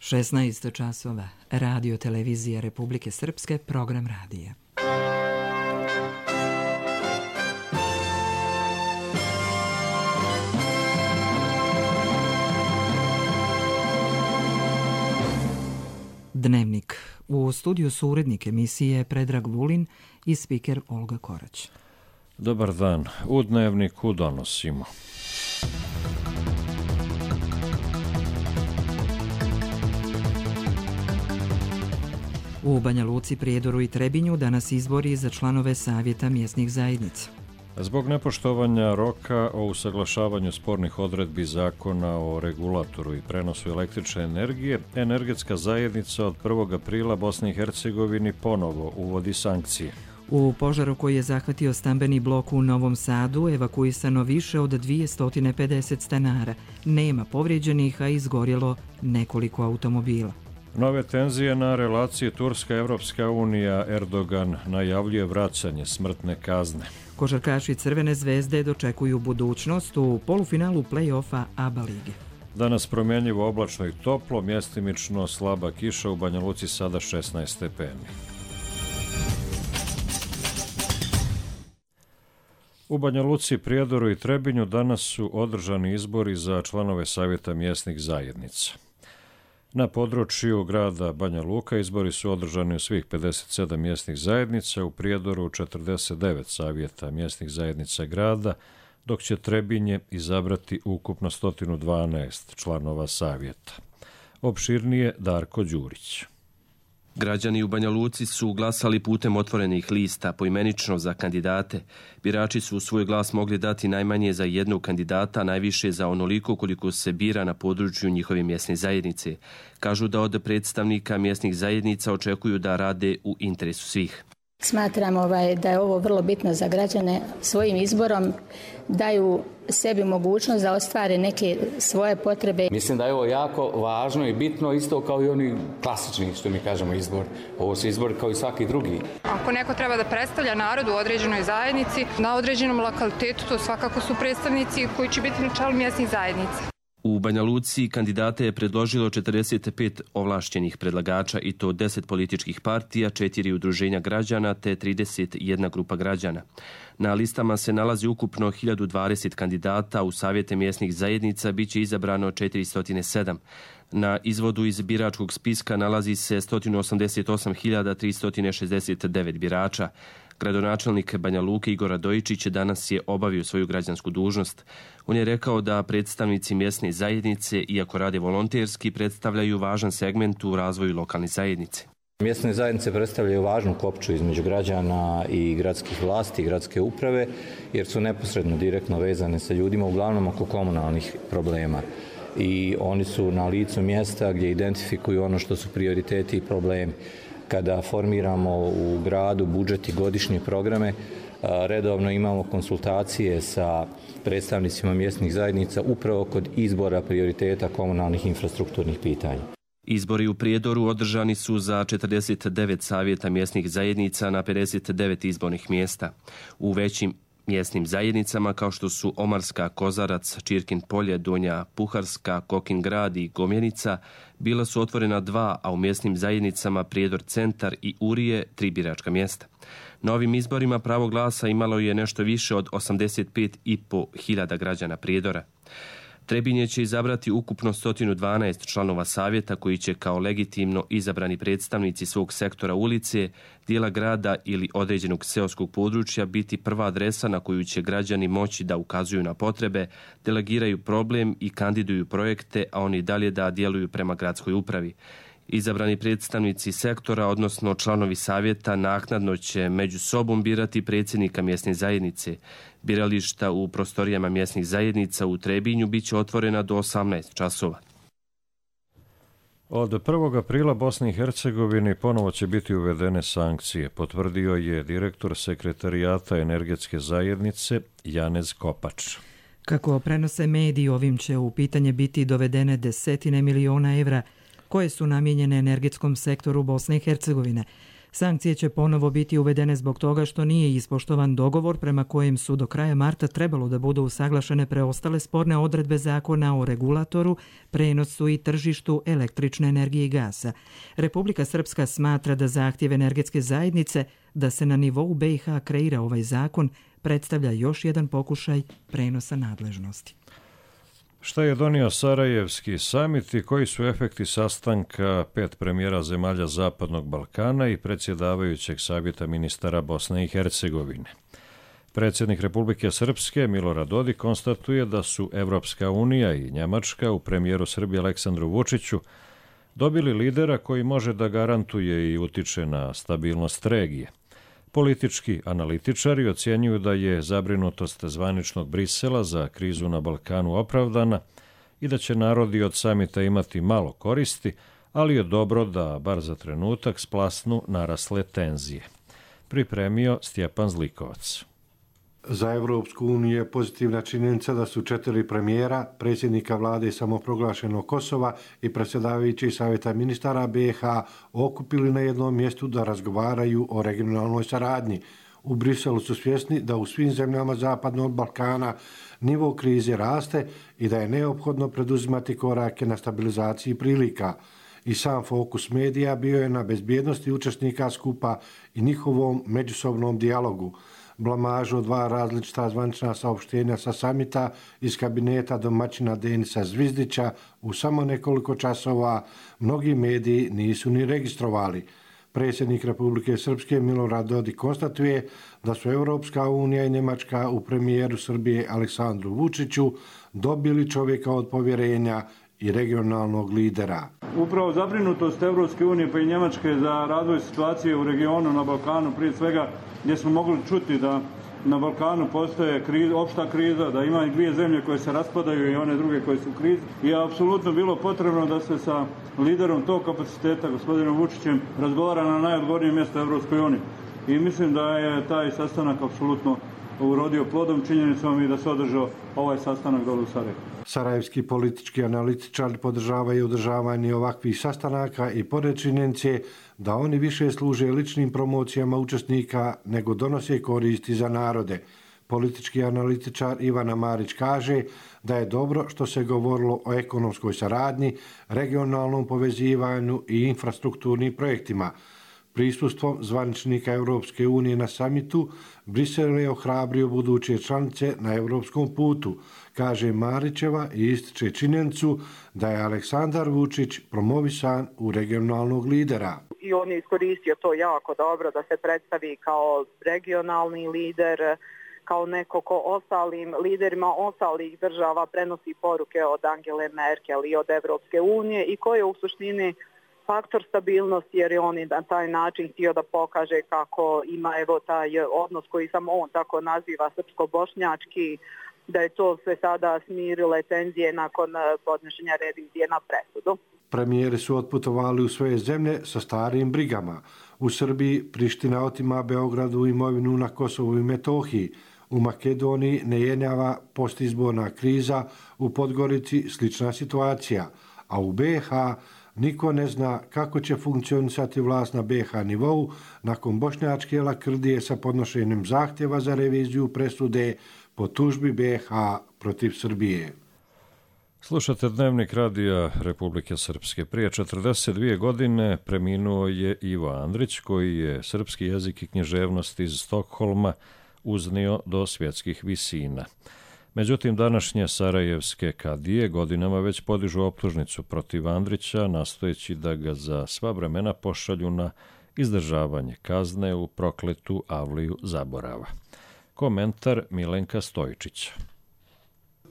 16 časova. Radio televizija Republike Srpske, program radija. Dnevnik. U studiju su urednik emisije Predrag Vulin i spiker Olga Korać. Dobar dan. U Dnevniku donosimo. U Banja Luci, Prijedoru i Trebinju danas izbori za članove Savjeta mjesnih zajednica. Zbog nepoštovanja roka o usaglašavanju spornih odredbi zakona o regulatoru i prenosu električne energije, energetska zajednica od 1. aprila Bosni i Hercegovini ponovo uvodi sankcije. U požaru koji je zahvatio stambeni blok u Novom Sadu evakuisano više od 250 stanara. Nema povrijeđenih, a izgorjelo nekoliko automobila. Nove tenzije na relaciji Turska-Evropska unija. Erdogan najavljuje vraćanje smrtne kazne. Košarkaši Crvene zvezde dočekuju budućnost u polufinalu play-offa ABA lige. Danas promjenjivo oblačno i toplo, mjestimično slaba kiša, u Banja Luci sada 16 stepeni. U Banja Luci, Prijedoru i Trebinju danas su održani izbori za članove Savjeta mjesnih zajednica. Na području grada Banja Luka izbori su održani u svih 57 mjesnih zajednica, u Prijedoru 49 savjeta mjesnih zajednica grada, dok će Trebinje izabrati ukupno 112 članova savjeta. Opširnije Darko Đurić. Građani u Banja Luci su glasali putem otvorenih lista, poimenično za kandidate. Birači su svoj glas mogli dati najmanje za jednog kandidata, najviše za onoliko koliko se bira na području njihove mjesne zajednice. Kažu da od predstavnika mjesnih zajednica očekuju da rade u interesu svih. Smatram da je ovo vrlo bitno za građane. Svojim izborom daju sebi mogućnost da ostvare neke svoje potrebe. Mislim da je ovo jako važno i bitno, isto kao i oni klasični, što mi kažemo, izbor. Ovo su izbori kao i svaki drugi. Ako neko treba da predstavlja narod u određenoj zajednici, na određenom lokalitetu, to svakako su predstavnici koji će biti na čelu mjesnih zajednica. U Banja Luci kandidate je predložilo 45 ovlašćenih predlagača i to 10 političkih partija, 4 udruženja građana te 31 grupa građana. Na listama se nalazi ukupno 1020 kandidata, u savjete mjesnih zajednica bit će izabrano 407. Na izvodu iz biračkog spiska nalazi se 188.369 birača. Gradonačelnik Banja Luke Igor Radojičić danas je obavio svoju građansku dužnost. On je rekao da predstavnici mjesne zajednice, iako rade volonterski, predstavljaju važan segment u razvoju lokalne zajednice. Mjesne zajednice predstavljaju važnu kopču između građana i gradskih vlasti i gradske uprave, jer su neposredno direktno vezane sa ljudima, uglavnom oko komunalnih problema. I oni su na licu mjesta gdje identifikuju ono što su prioriteti i problemi. Kada formiramo u gradu budžet i godišnje programe, redovno imamo konsultacije sa predstavnicima mjesnih zajednica upravo kod izbora prioriteta komunalnih infrastrukturnih pitanja. Izbori u Prijedoru održani su za 49 savjeta mjesnih zajednica na 59 izbornih mjesta. U većim mjesnim zajednicama kao što su Omarska, Kozarac, Čirkin polje, Donja Puharska, Kokin grad i Gomjenica bila su otvorena 2, a u mjesnim zajednicama Prijedor centar i Urije 3 biračka mjesta. Na ovim izborima pravo glasa imalo je nešto više od 85.500 građana Prijedora. Trebinje će izabrati ukupno 112 članova savjeta koji će kao legitimno izabrani predstavnici svog sektora ulice, dijela grada ili određenog seoskog područja biti prva adresa na koju će građani moći da ukazuju na potrebe, delegiraju problem i kandiduju projekte, a oni dalje da djeluju prema gradskoj upravi. Izabrani predstavnici sektora, odnosno članovi savjeta, naknadno će među sobom birati predsjednika mjesne zajednice. Birališta u prostorijama mjesnih zajednica u Trebinju bit će otvorena do 18 časova. Od 1. aprila Bosni i Hercegovini ponovo će biti uvedene sankcije, potvrdio je direktor sekretarijata energetske zajednice Janez Kopač. Kako prenose mediji, ovim će u pitanje biti dovedene desetine miliona evra koje su namijenjene energetskom sektoru Bosne i Hercegovine. Sankcije će ponovo biti uvedene zbog toga što nije ispoštovan dogovor prema kojem su do kraja marta trebalo da budu usaglašene preostale sporne odredbe zakona o regulatoru, prenosu i tržištu električne energije i gasa. Republika Srpska smatra da zahtjev energetske zajednice da se na nivou BiH kreira ovaj zakon predstavlja još jedan pokušaj prenosa nadležnosti. Šta je donio Sarajevski samit i koji su efekti sastanka 5 premijera zemalja Zapadnog Balkana i predsjedavajućeg savjeta ministara Bosne i Hercegovine? Predsjednik Republike Srpske Milorad Dodik konstatuje da su Evropska unija i Njemačka u premijeru Srbije Aleksandru Vučiću dobili lidera koji može da garantuje i utiče na stabilnost regije. Politički analitičari ocjenjuju da je zabrinutost zvaničnog Brisela za krizu na Balkanu opravdana i da će narodi od samita imati malo koristi, ali je dobro da, bar za trenutak, splasnu narasle tenzije. Pripremio Stjepan Zlikovac. Za Evropsku uniju je pozitivna činjenica da su 4 premijera, predsjednika vlade samoproglašenog Kosova i predsjedavajući savjeta ministara BiH okupili na jednom mjestu da razgovaraju o regionalnoj saradnji. U Briselu su svjesni da u svim zemljama Zapadnog Balkana nivo krize raste i da je neophodno preduzimati korake na stabilizaciji prilika. I sam fokus medija bio je na bezbjednosti učesnika skupa i njihovom međusobnom dijalogu. Blamažu od 2 različita zvanična saopštenja sa samita iz kabineta domaćina Denisa Zvizdića u samo nekoliko časova mnogi mediji nisu ni registrovali. Predsjednik Republike Srpske Milorad Dodik konstatuje da su Evropska unija i Njemačka u premijeru Srbije Aleksandru Vučiću dobili čovjeka od povjerenja i regionalnog lidera. Upravo zabrinutost Evropske unije pa i Njemačke za razvoj situacije u regionu na Balkanu, prije svega gdje smo mogli čuti da na Balkanu postoje opšta kriza, da ima i 2 zemlje koje se raspadaju i one druge koje su u krizi. I je apsolutno bilo potrebno da se sa liderom tog kapaciteta, gospodinom Vučićem, razgovara na najodgovornijem mjestu Evropskoj uniji. I mislim da je taj sastanak apsolutno urodio plodom, činjenicom i da se održao ovaj sastanak dole u Sarajevu. Sarajevski politički analitičari podržavaju održavanje ovakvih sastanaka i pored činjenice da oni više služe ličnim promocijama učesnika nego donose koristi za narode. Politički analitičar Ivana Marić kaže da je dobro što se govorilo o ekonomskoj saradnji, regionalnom povezivanju i infrastrukturnim projektima. Prisustvom zvaničnika Evropske unije na samitu, Brisel je ohrabrio buduće članice na evropskom putu, kaže Marićeva i ističe činjenicu da je Aleksandar Vučić promovisan u regionalnog lidera. I on je iskoristio to jako dobro da se predstavi kao regionalni lider, kao neko ko ostalim liderima ostalih država prenosi poruke od Angele Merkel i od Evropske unije i koje u suštini faktor stabilnosti, jer je on na taj način htio da pokaže kako ima taj odnos koji samo on tako naziva srpsko-bošnjački, da je to sve sada smirile tenzije nakon podnošenja revizije na presudu. Premijeri su otputovali u svoje zemlje sa starim brigama. U Srbiji Priština otima Beogradu imovinu na Kosovu i Metohiji. U Makedoniji ne jenjava postizborna kriza, u Podgorici slična situacija, a u BiH niko ne zna kako će funkcionisati vlast na BiH nivou nakon bošnjačke lakrdije sa podnošenjem zahtjeva za reviziju presude po tužbi BiH protiv Srbije. Slušate Dnevnik radija Republike Srpske. Prije 42 godine preminuo je Ivo Andrić, koji je srpski jezik i književnost iz Stokholma uznio do svjetskih visina. Međutim, današnje sarajevske kadije godinama već podižu optužnicu protiv Andrića, nastojeći da ga za sva vremena pošalju na izdržavanje kazne u prokletu avliju zaborava. Komentar Milenka Stojičića.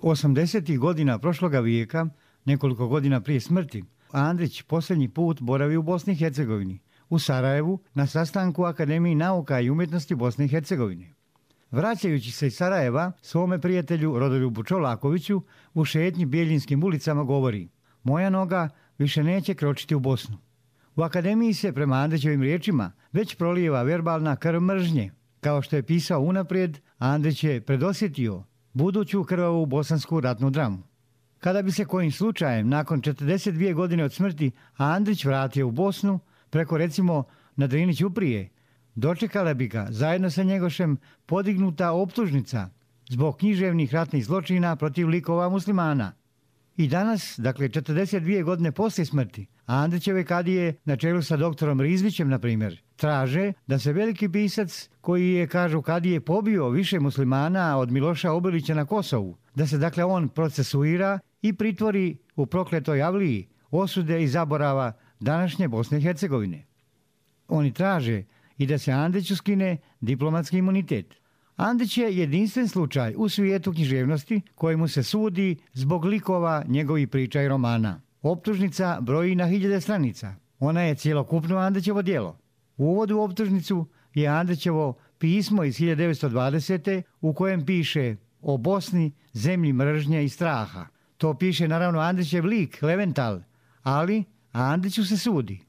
80. godina prošloga vijeka, nekoliko godina prije smrti, Andrić posljednji put boravi u Bosni i Hercegovini, u Sarajevu, na sastanku Akademiji nauka i umjetnosti Bosne i Hercegovine. Vraćajući se iz Sarajeva, svome prijatelju Rodoljubu Čolakoviću u šetnji Bijeljinskim ulicama govori: moja noga više neće kročiti u Bosnu. U akademiji se, prema Andrićevim riječima, već prolijeva verbalna krv mržnje. Kao što je pisao unaprijed, Andrić je predosjetio buduću krvavu bosansku ratnu dramu. Kada bi se kojim slučajem nakon 42 godine od smrti Andrić vratio u Bosnu, preko recimo na Drini Ćuprije, dočekala bi ga zajedno sa Njegošem podignuta optužnica zbog književnih ratnih zločina protiv likova muslimana. I danas, dakle 42 godine poslije smrti, Andrićeve kadije na čelu sa doktorom Rizvićem, na primjer, traže da se veliki pisac koji je, kažu kadije, pobio više muslimana od Miloša Obilića na Kosovu, da se dakle on procesuira i pritvori u prokletoj avliji osude i zaborava današnje Bosne i Hercegovine. Oni traže i da se Andriću skine diplomatski imunitet. Andrić je jedinstven slučaj u svijetu književnosti kojemu se sudi zbog likova njegovih priča i romana. Optužnica broji na 1000 stranica. Ona je cjelokupno Andrićevo djelo. U uvodu u optužnicu je Andrićevo pismo iz 1920. u kojem piše o Bosni, zemlji mržnje i straha. To piše naravno Andrićev lik, Levental, ali Andriću se sudi.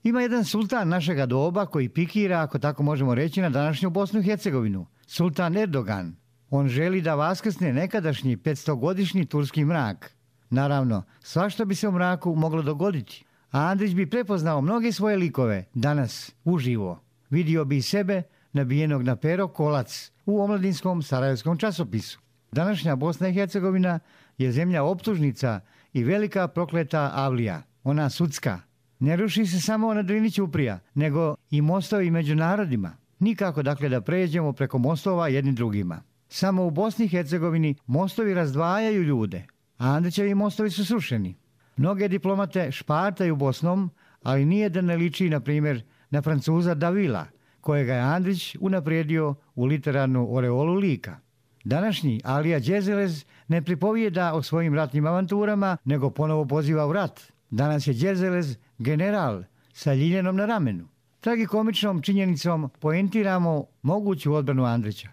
Ima jedan sultan našega doba koji pikira, ako tako možemo reći, na današnju Bosnu i Hercegovinu. Sultan Erdogan. On želi da vaskrsne nekadašnji 500-godišnji turski mrak. Naravno, svašta bi se u mraku moglo dogoditi. A Andrić bi prepoznao mnoge svoje likove danas, uživo. Vidio bi i sebe nabijenog na pero kolac u omladinskom sarajevskom časopisu. Današnja Bosna i Hercegovina je zemlja optužnica i velika prokleta avlija, ona sudska. Ne ruši se samo na Drini Ćuprija, nego i mostovi među narodima. Nikako dakle da pređemo preko mostova jedni drugima. Samo u Bosni i Hercegovini mostovi razdvajaju ljude, a Andrićevi mostovi su srušeni. Mnoge diplomate špartaju Bosnom, ali nije da ne liči, na primjer, na Francuza Davila, kojega je Andrić unaprijedio u literarnu oreolu lika. Današnji Alija Đerzelez ne pripovijeda o svojim ratnim avanturama, nego ponovo poziva u rat. Danas je Đerzelez general sa ljiljenom na ramenu. Tragikomičnom činjenicom poentiramo moguću odbranu Andrića.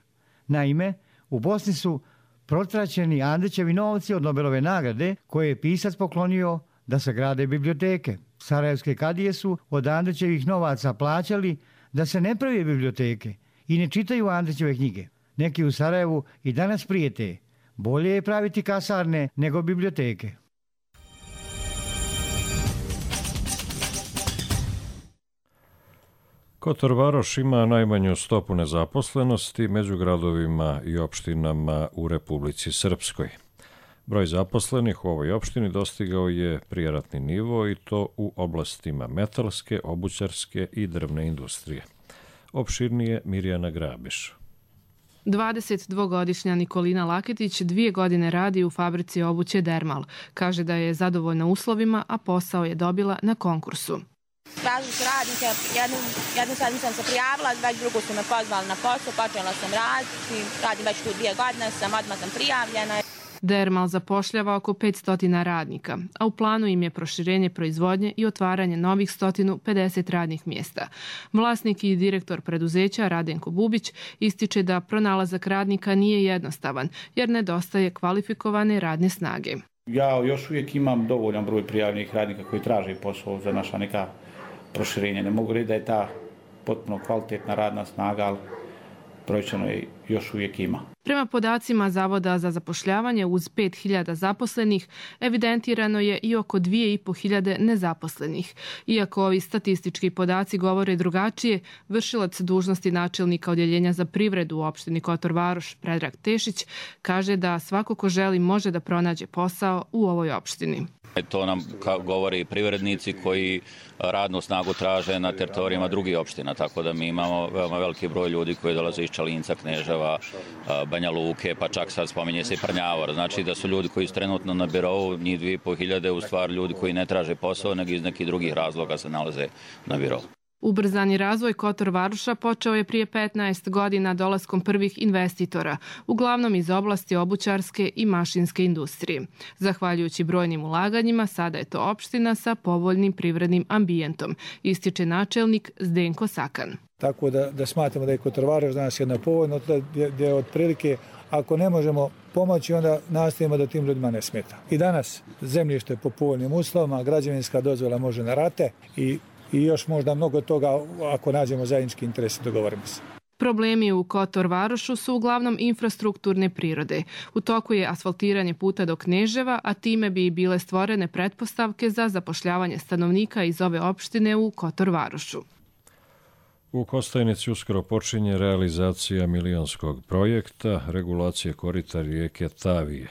Naime, u Bosni su protraćeni Andrićevi novci od Nobelove nagrade koje je pisac poklonio da se grade biblioteke. Sarajevske kadije su od Andrićevih novaca plaćali da se ne prave biblioteke i ne čitaju Andrićeve knjige. Neki u Sarajevu i danas prijete. Bolje je praviti kasarne nego biblioteke. Kotor Varoš ima najmanju stopu nezaposlenosti među gradovima i opštinama u Republici Srpskoj. Broj zaposlenih u ovoj opštini dostigao je prijeratni nivo i to u oblastima metalske, obućarske i drvne industrije. Opširnije Mirjana Grabiš. 22-godišnja Nikolina Laketić 2 godine radi u fabrici obuće Dermal. Kaže da je zadovoljna uslovima, a posao je dobila na konkursu. Tražili su radnike, jednu sedmicu sam se prijavila, već drugu su me pozvali na posao, počela sam raditi, radim već tu 2 godine, odmah sam prijavljena. Dermal zapošljava oko 500 radnika, a u planu im je proširenje proizvodnje i otvaranje novih 150 radnih mjesta. Vlasnik i direktor preduzeća Radenko Bubić ističe da pronalazak radnika nije jednostavan, jer nedostaje kvalifikovane radne snage. Ja još uvijek imam dovoljan broj prijavljenih radnika koji traže posao za naša neka proširenja. Ne mogu reći da je ta potpuno kvalitetna radna snaga, ali brojčano je još uvijek ima. Prema podacima Zavoda za zapošljavanje, uz 5000 zaposlenih, evidentirano je i oko 2500 nezaposlenih. Iako ovi statistički podaci govore drugačije, vršilac dužnosti načelnika odjeljenja za privredu u opštini Kotor Varoš, Predrag Tešić, kaže da svako ko želi može da pronađe posao u ovoj opštini. To nam govore i privrednici koji radnu snagu traže na teritorijama drugih opština, tako da mi imamo veoma veliki broj ljudi koji dolaze iz Čalinca, Kneževa, Banja Luke, pa čak sad spominje se i Prnjavor. Znači da su ljudi koji su trenutno na birovu, njih 2500, u stvari ljudi koji ne traže posao, nego iz nekih drugih razloga se nalaze na birovu. Ubrzani razvoj Kotor Varoša počeo je prije 15 godina dolaskom prvih investitora, uglavnom iz oblasti obućarske i mašinske industrije. Zahvaljujući brojnim ulaganjima, sada je to opština sa povoljnim privrednim ambijentom, ističe načelnik Zdenko Sakan. Tako da smatramo da je Kotor Varoš danas jedna povoljna, gdje je otprilike ako ne možemo pomoći, onda nastavimo da tim ljudima ne smeta. I danas zemljište po povoljnim uslovima, građevinska dozvola može na rate i još možda mnogo toga ako nađemo zajednički interes i dogovorimo se. Problemi u Kotor Varošu su uglavnom infrastrukturne prirode. U toku je asfaltiranje puta do Kneževa, a time bi bile stvorene pretpostavke za zapošljavanje stanovnika iz ove opštine u Kotor Varošu. U Kostajnici uskoro počinje realizacija milionskog projekta regulacije korita rijeke Tavije.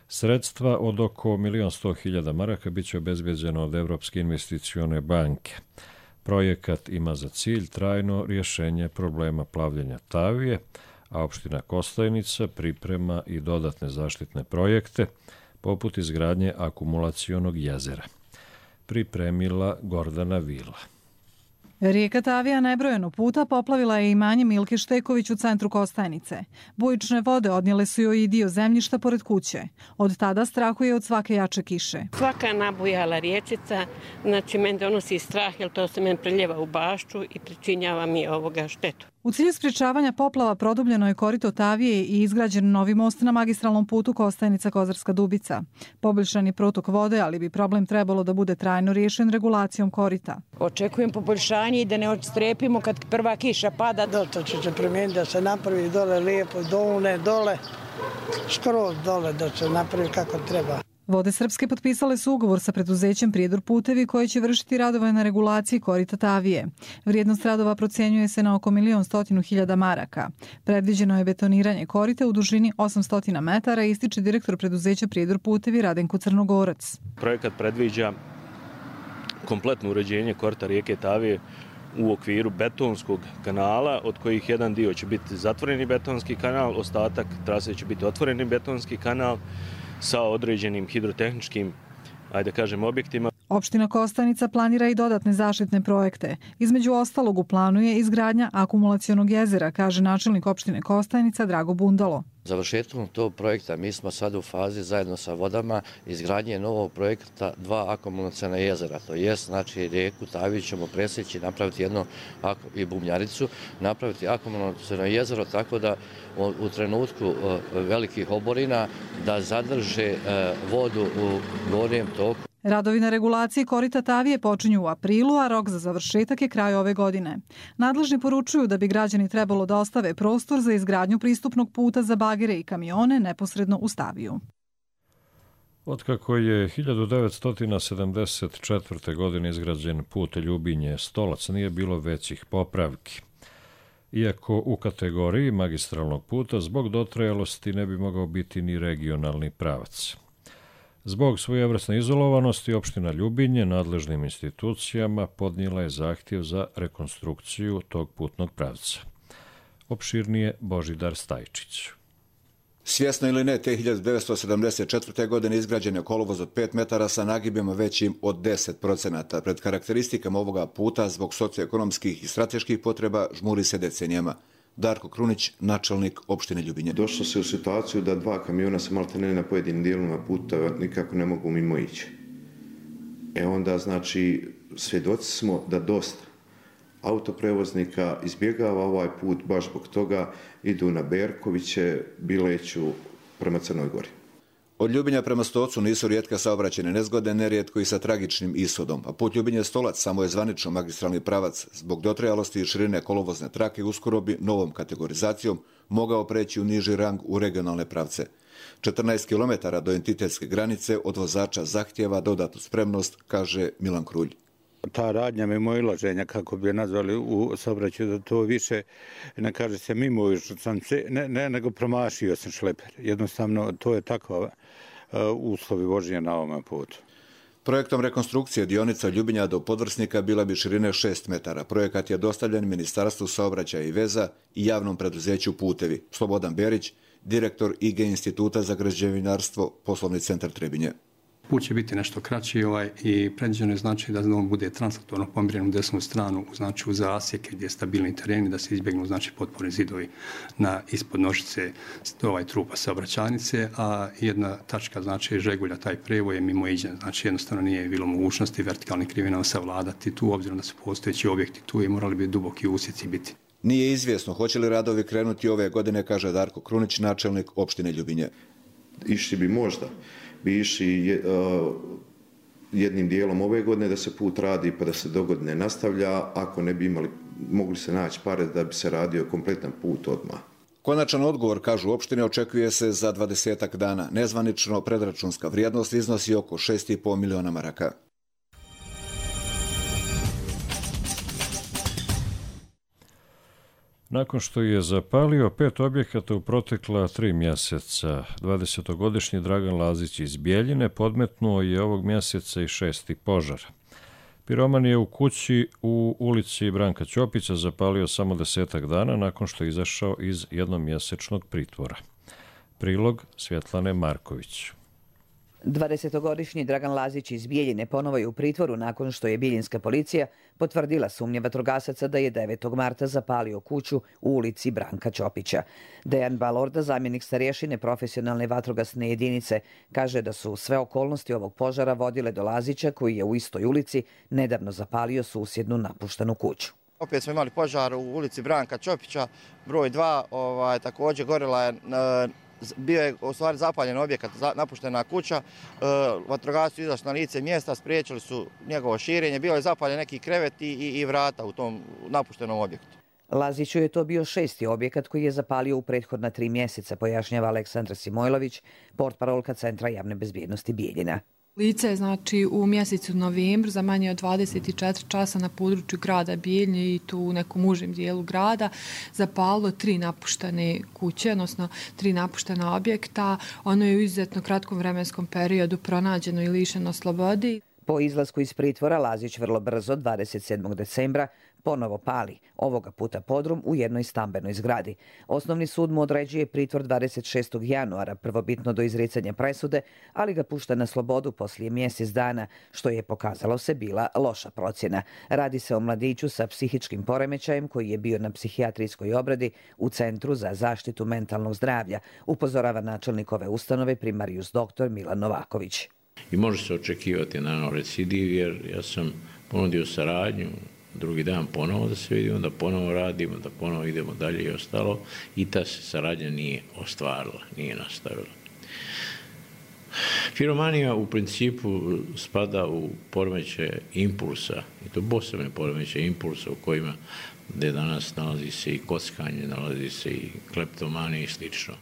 Sredstva od oko 1.100.000 maraka bit će obezbeđeno od Evropske investicione banke. Projekat ima za cilj trajno rješenje problema plavljenja Tavije, a opština Kostajnica priprema i dodatne zaštitne projekte, poput izgradnje akumulacionog jezera. Pripremila Gordana Vila. Rijeka Tavija nebrojeno puta poplavila je imanje Milke Šteković u centru Kostajnice. Bujične vode odnijele su joj i dio zemljišta pored kuće. Od tada strahuje od svake jače kiše. Svaka nabujala riječica, znači meni donosi strah jer to se meni preljeva u bašču i pričinjava mi ovoga štetu. U cilju sprječavanja poplava produbljeno je korito Tavije i izgrađen novi most na magistralnom putu Kostajnica-Kozarska Dubica. Poboljšan je protok vode, ali bi problem trebalo da bude trajno riješen regulacijom korita. Očekujem poboljšanje i da ne odstrepimo kad prva kiša pada. To će se promijeniti da se napravi dole lijepo, dole, skroz dole da se napravi kako treba. Vode Srpske potpisale su ugovor sa preduzećem Prijedor putevi koji će vršiti radove na regulaciji korita Tavije. Vrijednost radova procjenjuje se na oko 1.100.000 maraka. Predviđeno je betoniranje korita u dužini 800 metara, ističe direktor preduzeća Prijedor putevi Radenko Crnogorac. Projekat predviđa kompletno uređenje korita rijeke Tavije u okviru betonskog kanala, od kojih jedan dio će biti zatvoreni betonski kanal, ostatak trase će biti otvoreni betonski kanal sa određenim hidrotehničkim, objektima. Opština Kostajnica planira i dodatne zaštitne projekte. Između ostalog u planu je izgradnja akumulacionog jezera, kaže načelnik opštine Kostajnica Drago Bundalo. Završetkom tog projekta mi smo sad u fazi zajedno sa vodama izgradnje novog projekta 2 akumulaciona jezera. To jest, znači rijeku Taviju ćemo presjeći, napraviti jedno i Bubnjaricu, napraviti akumulaciono jezero tako da u trenutku velikih oborina da zadrže vodu u gornjem toku. Radovi na regulaciji korita Tavije počinju u aprilu, a rok za završetak je kraj ove godine. Nadležni poručuju da bi građani trebalo da ostave prostor za izgradnju pristupnog puta za bagere i kamione neposredno uz Taviju. Otkako je 1974. godine izgrađen put Ljubinje-Stolac, nije bilo većih popravki. Iako u kategoriji magistralnog puta zbog dotrajalosti ne bi mogao biti ni regionalni pravac. Zbog svojevrsne izolovanosti opština Ljubinje nadležnim institucijama podnijela je zahtjev za rekonstrukciju tog putnog pravca. Opširnije Božidar Stajčić. Svjesno ili ne, te 1974. godine izgrađen je kolovoz od 5 metara sa nagibima većim od 10%. Pred karakteristikama ovoga puta zbog socioekonomskih i strateških potreba žmuri se decenijama. Darko Krunić, načelnik opštine Ljubinje. Došlo se u situaciju da 2 kamiona se maltene na pojedinim dijelovima puta nikako ne mogu mimo ići. Onda, znači, svjedoci smo da dosta autoprevoznika izbjegava ovaj put, baš zbog toga idu na Berkoviće, Bileću prema Crnoj Gori. Od Ljubinja prema Stocu nisu rijetke saobraćajne nezgode, nerijetko i sa tragičnim ishodom. A put Ljubinje-Stolac samo je zvanično magistralni pravac. Zbog dotrajalosti i širine kolovozne trake uskoro bi novom kategorizacijom mogao preći u niži rang u regionalne pravce. 14 km do entitetske granice od vozača zahtjeva dodatnu spremnost, kaže Milan Krulj. Ta radnja mimoilaženja, kako bi je nazvali u saobraćaju, da to više ne kaže se mimoilaženja sam se, nego promašio sam šleper. Jednostavno, to je takva uslovi vožnje na ovom putu. Projektom rekonstrukcije dionica Ljubinja do Podvrsnika bila bi širine 6 metara. Projekat je dostavljen Ministarstvu saobraćaja i veza i javnom preduzeću Putevi. Slobodan Berić, direktor IG Instituta za građevinarstvo, Poslovni centar Trebinje. Put će biti nešto kraći i predviđeno je znači da on bude translatorno pomjeren u desnu stranu, znači uz zasjeke gdje je stabilni tereni, da se izbjegnu znači potporni zidovi ispod nožice trupa saobraćajnice, a jedna tačka znači žegulja taj prevoj je mimoiđen, znači jednostavno nije bilo mogućnosti vertikalnih krivina savladati tu, obzirom da su postojeći objekti tu i morali bi duboki usjeci biti. Nije izvjesno hoće li radovi krenuti ove godine, kaže Darko Krunić, načelnik opštine Ljubinje. Išli bi možda. Bi išli jednim dijelom ove godine da se put radi pa da se dogodine nastavlja, ako ne bi mogli se naći pare da bi se radio kompletan put odmah. Konačan odgovor, kažu opštine, očekuje se za 20 dana. Nezvanično predračunska vrijednost iznosi oko 6,5 miliona maraka. Nakon što je zapalio 5 objekata u protekla 3 mjeseca, 20-godišnji Dragan Lazić iz Bijeljine podmetnuo je ovog mjeseca i 6. požar. Piroman je u kući u ulici Branka Ćopića zapalio samo 10 dana nakon što je izašao iz jednomjesečnog pritvora. Prilog Svjetlane Marković. 20-godišnji Dragan Lazić iz Bijeljine ponovo je u pritvoru nakon što je bijeljinska policija potvrdila sumnje vatrogasaca da je 9. marta zapalio kuću u ulici Branka Ćopića. Dejan Balorda, zamjenik starješine profesionalne vatrogasne jedinice, kaže da su sve okolnosti ovog požara vodile do Lazića koji je u istoj ulici nedavno zapalio susjednu napuštenu kuću. Opet smo imali požar u ulici Branka Ćopića, broj 2, također gorila je, bio je u stvari zapaljen objekat, napuštena kuća, vatrogasci su izašli na lice mjesta, spriječili su njegovo širenje, bio je zapaljen neki krevet i vrata u tom napuštenom objektu. Laziću je to bio 6. objekat koji je zapalio u prethodna 3 mjeseca, pojašnjava Aleksandra Simojlović, portparolka Centra javne bezbjednosti Bijeljina. Lice je znači u mjesecu novembru za manje od 24 časa na području grada Bijeljine i tu u nekom užem dijelu grada zapalilo 3 napuštene kuće, odnosno 3 napuštena objekta. Ono je u izuzetno kratkom vremenskom periodu pronađeno i lišeno slobodi. Po izlasku iz pritvora Lazić vrlo brzo, 27. decembra, ponovo pali, ovoga puta podrum u jednoj stambenoj zgradi. Osnovni sud mu određuje pritvor 26. januara, prvobitno do izricanja presude, ali ga pušta na slobodu poslije mjesec dana, što je pokazalo se bila loša procjena. Radi se o mladiću sa psihičkim poremećajem koji je bio na psihijatrijskoj obradi u Centru za zaštitu mentalnog zdravlja, upozorava načelnik ove ustanove primarijus dr. Milan Novaković. I može se očekivati na recidiv jer ja sam ponudio saradnju, drugi dan ponovo da se vidimo, da ponovo radimo, da ponovo idemo dalje i ostalo i ta se saradnja nije ostvarila, nije nastavila. Piromanija u principu spada u poremećaje impulsa i to posebne poremećaje impulsa u kojima gdje danas nalazi se i kockanje, nalazi se i kleptomanija i slično.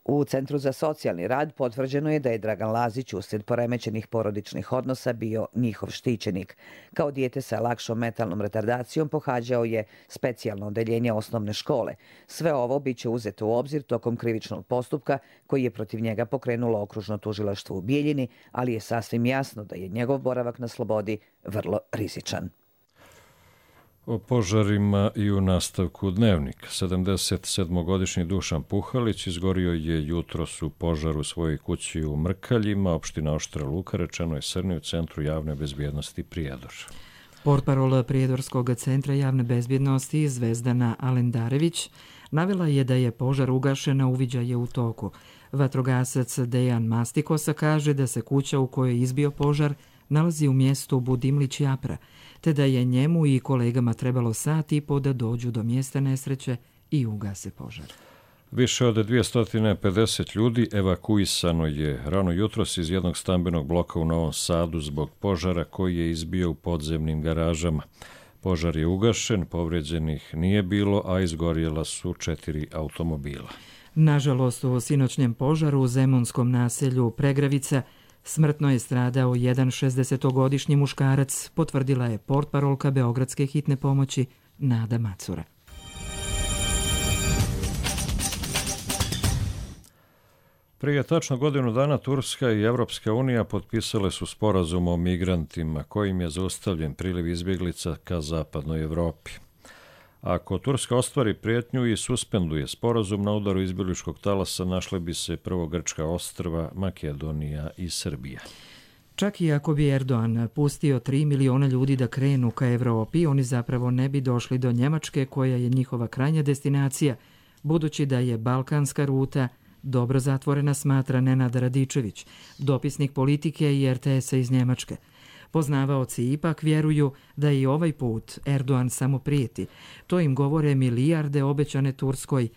U Centru za socijalni rad potvrđeno je da je Dragan Lazić uslijed poremećenih porodičnih odnosa bio njihov štićenik. Kao dijete sa lakšom mentalnom retardacijom pohađao je specijalno odeljenje osnovne škole. Sve ovo bit će uzeto u obzir tokom krivičnog postupka koji je protiv njega pokrenulo okružno tužilaštvo u Bijeljini, ali je sasvim jasno da je njegov boravak na slobodi vrlo rizičan. O požarima i u nastavku Dnevnika. 77-godišnji Dušan Puhalić izgorio je jutros u požaru u svojoj kući u Mrkaljima, opština Oštra Luka, rečeno je Srni u Centru javne bezbjednosti Prijedor. Portparol Prijedorskog centra javne bezbjednosti Zvezdana Alendarević navela je da je požar ugašen, a uviđaj je u toku. Vatrogasac Dejan Mastikosa kaže da se kuća u kojoj je izbio požar nalazi u mjestu Budimlić Japra, te da je njemu i kolegama trebalo sat i po da dođu do mjesta nesreće i ugase požar. Više od 250 ljudi evakuisano je rano jutros iz jednog stambenog bloka u Novom Sadu zbog požara koji je izbio u podzemnim garažama. Požar je ugašen, povrijeđenih nije bilo, a izgorjela su 4 automobila. Nažalost, u sinoćnjem požaru u zemunskom naselju Pregravica smrtno je stradao jedan 60-godišnji muškarac, potvrdila je portparolka Beogradske hitne pomoći Nada Macura. Prije tačno godinu dana Turska i Evropska unija potpisale su sporazum o migrantima kojim je zaustavljen priliv izbjeglica ka zapadnoj Evropi. Ako Turska ostvari prijetnju i suspenduje sporazum, na udaru izbjegličkog talasa našle bi se prvo grčka ostrva, Makedonija i Srbija. Čak i ako bi Erdogan pustio 3 miliona ljudi da krenu ka Evropi, oni zapravo ne bi došli do Njemačke, koja je njihova krajnja destinacija, budući da je balkanska ruta dobro zatvorena, smatra Nenad Radičević, dopisnik politike i RTS-a iz Njemačke. Poznavaoci ipak vjeruju da i ovaj put Erdogan samo prijeti. To im govore milijarde obećane Turskoj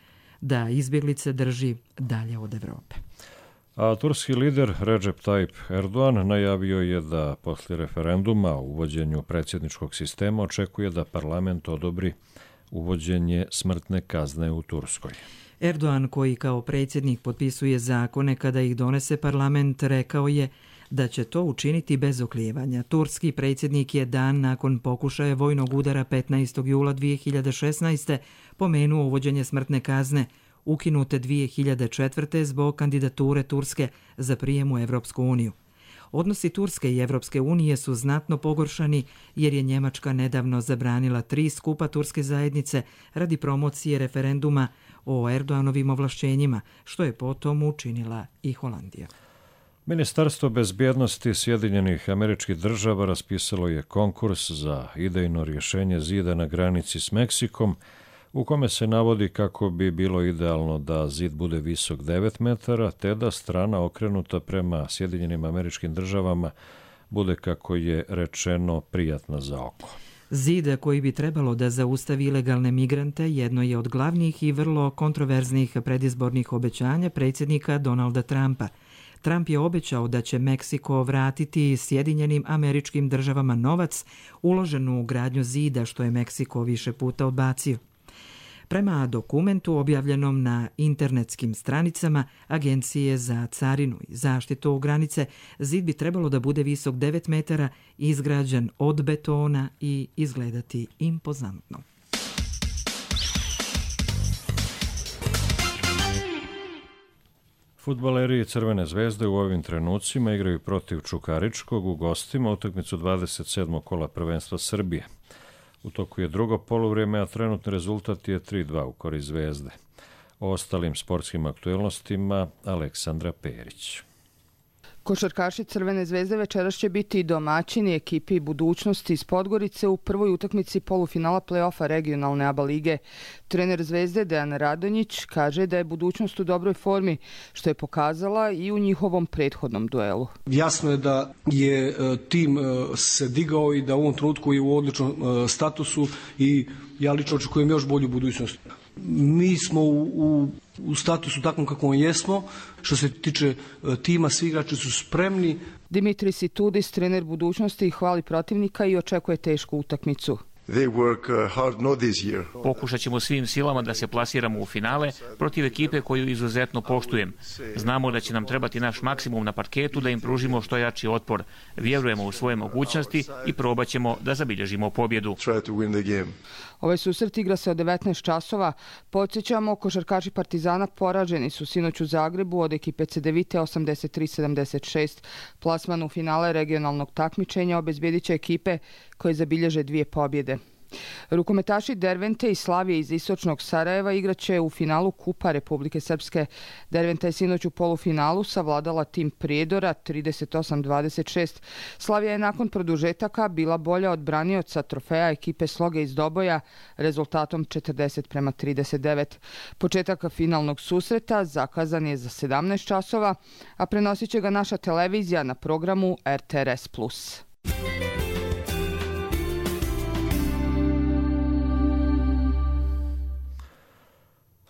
da izbjeglice drži dalje od Evrope. A turski lider Recep Tayyip Erdogan najavio je da poslije referenduma o uvođenju predsjedničkog sistema očekuje da parlament odobri uvođenje smrtne kazne u Turskoj. Erdogan, koji kao predsjednik potpisuje zakone kada ih donese parlament, rekao je da će to učiniti bez oklijevanja. Turski predsjednik je dan nakon pokušaja vojnog udara 15. jula 2016. pomenuo uvođenje smrtne kazne, ukinute 2004. zbog kandidature Turske za prijem u Evropsku uniju. Odnosi Turske i Evropske unije su znatno pogoršani jer je Njemačka nedavno zabranila 3 skupa turske zajednice radi promocije referenduma o Erdoganovim ovlašćenjima, što je potom učinila i Holandija. Ministarstvo bezbjednosti Sjedinjenih Američkih Država raspisalo je konkurs za idejno rješenje zida na granici s Meksikom, u kome se navodi kako bi bilo idealno da zid bude visok 9 metara, te da strana okrenuta prema Sjedinjenim Američkim Državama bude, kako je rečeno, prijatna za oko. Zid koji bi trebalo da zaustavi ilegalne migrante jedno je od glavnih i vrlo kontroverznih predizbornih obećanja predsjednika Donalda Trumpa. Trump je obećao da će Meksiko vratiti Sjedinjenim Američkim Državama novac uložen u gradnju zida, što je Meksiko više puta odbacio. Prema dokumentu objavljenom na internetskim stranicama Agencije za carinu i zaštitu granice, zid bi trebalo da bude visok 9 metara, izgrađen od betona i izgledati impozantno. Fudbaleri Crvene zvezde u ovim trenucima igraju protiv Čukaričkog u gostima utakmicu 27. kola prvenstva Srbije. U toku je drugo poluvrijeme, a trenutni rezultat je 3-2 u korist Zvezde. O ostalim sportskim aktuelnostima Aleksandra Perić. Košarkaši Crvene zvezde večeras će biti domaćini ekipi Budućnosti iz Podgorice u prvoj utakmici polufinala play-offa regionalne ABA lige. Trener Zvezde Dejan Radonjić kaže da je Budućnost u dobroj formi, što je pokazala i u njihovom prethodnom duelu. Jasno je da je tim se digao i da u ovom trenutku je u odličnom statusu i ja lično očekujem još bolju budućnost. Mi smo u statusu takvom kakvom jesmo. Što se tiče tima, svi igrači su spremni. Dimitris Itudis, trener Budućnosti, hvali protivnika i očekuje tešku utakmicu. Pokušat ćemo svim silama da se plasiramo u finale protiv ekipe koju izuzetno poštujem. Znamo da će nam trebati naš maksimum na parketu da im pružimo što jači otpor. Vjerujemo u svoje mogućnosti i probat ćemo da zabilježimo pobjedu. Ovaj susret igra se od 19 časova. Podsjećamo, košarkaši Partizana poraženi su sinoć u Zagrebu od ekipe Cedevite 83-76. Plasman u finale regionalnog takmičenja obezbjedit će ekipe koje zabilježe 2 pobjede. Rukometaši Dervente i Slavije iz istočnog Sarajeva igraće u finalu Kupa Republike Srpske. Derventa je sinoć u polufinalu savladala tim Prijedora 38-26. Slavija je nakon produžetaka bila bolja od branioca trofeja ekipe Sloge iz Doboja rezultatom 40-39. Početak finalnog susreta zakazan je za 17 časova, a prenosit će ga naša televizija na programu RTRS+.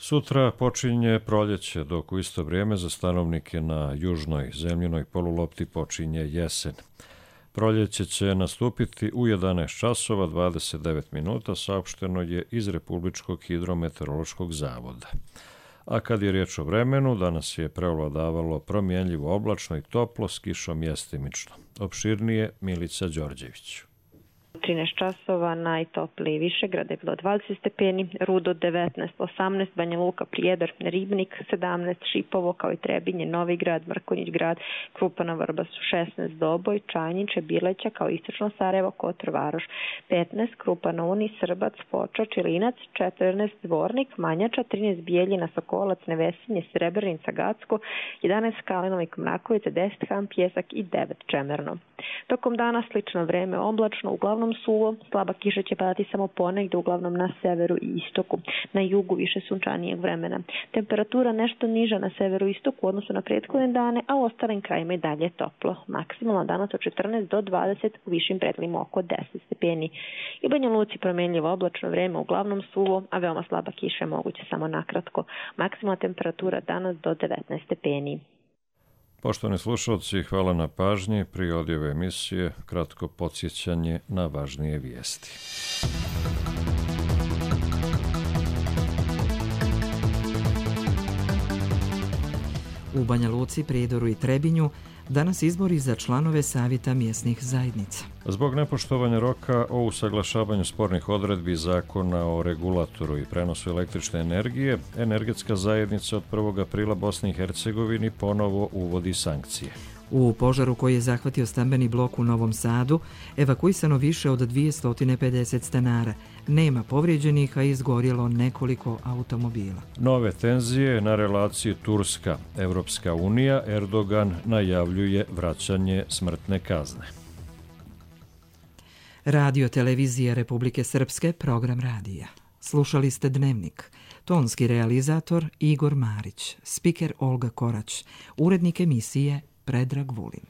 Sutra počinje proljeće, dok u isto vrijeme za stanovnike na južnoj zemljinoj polulopti počinje jesen. Proljeće će nastupiti u 11 časova 29 minuta, saopšteno je iz Republičkog hidrometeorološkog zavoda. A kad je riječ o vremenu, danas je preovladavalo promjenljivo oblačno i toplo s kišom mjestimično. Opširnije Milica Đorđević. 13 časova, najtopliji Višegrad je bilo 20 stepeni, Rudo 19, 18, Banja Luka, Prijedor, Ribnik 17, Šipovo kao i Trebinje, Novi Grad, Mrkonjić Grad, Krupana, Vrbasu 16, Doboj, Čajniče, Bileća kao istočno Sarajevo, Kotor, Varoš 15, Krupana, Uni, Srbac, Foča, Čilinac 14, Dvornik, Manjača 13, Bijeljina, Sokolac, Nevesinje, Srebrenica, Gacko 11, Kalinovik, Mrakovica 10, Ham, Pjesak i 9, Čemerno. Tokom dana slično vreme oblačno, uglavnom suvo, slaba kiša će padati samo ponegdje, uglavnom na severu i istoku. Na jugu više sunčanijeg vremena. Temperatura nešto niža na severu i istoku u odnosu na prethodne dane, a u ostalim krajima i dalje toplo. Maksimalno danas od 14 do 20, u višim predjelima oko 10 stepeni. I Banja Luci promjenljivo oblačno vreme, uglavnom suvo, a veoma slaba kiša je moguće samo nakratko. Maksimalna temperatura danas do 19 stepeni. Poštovani slušalci, hvala na pažnji. Prije odjave emisije, kratko podsjećanje na važnije vijesti. U Banja Luci, Prijedoru i Trebinju Danas izbori za članove Savjeta mjesnih zajednica. Zbog nepoštovanja roka o usaglašavanju spornih odredbi Zakona o regulatoru i prenosu električne energije, energetska zajednica od 1. aprila Bosni i Hercegovini ponovo uvodi sankcije. U požaru koji je zahvatio stambeni blok u Novom Sadu, evakuisano više od 250 stanara. Nema povrijeđenih, a izgorjelo nekoliko automobila. Nove tenzije na relaciji Turska-Evropska unija, Erdogan najavljuje vraćanje smrtne kazne. Radio televizija Republike Srpske, program radija. Slušali ste Dnevnik. Tonski realizator Igor Marić, spiker Olga Korać, urednik emisije Predrag Vulin.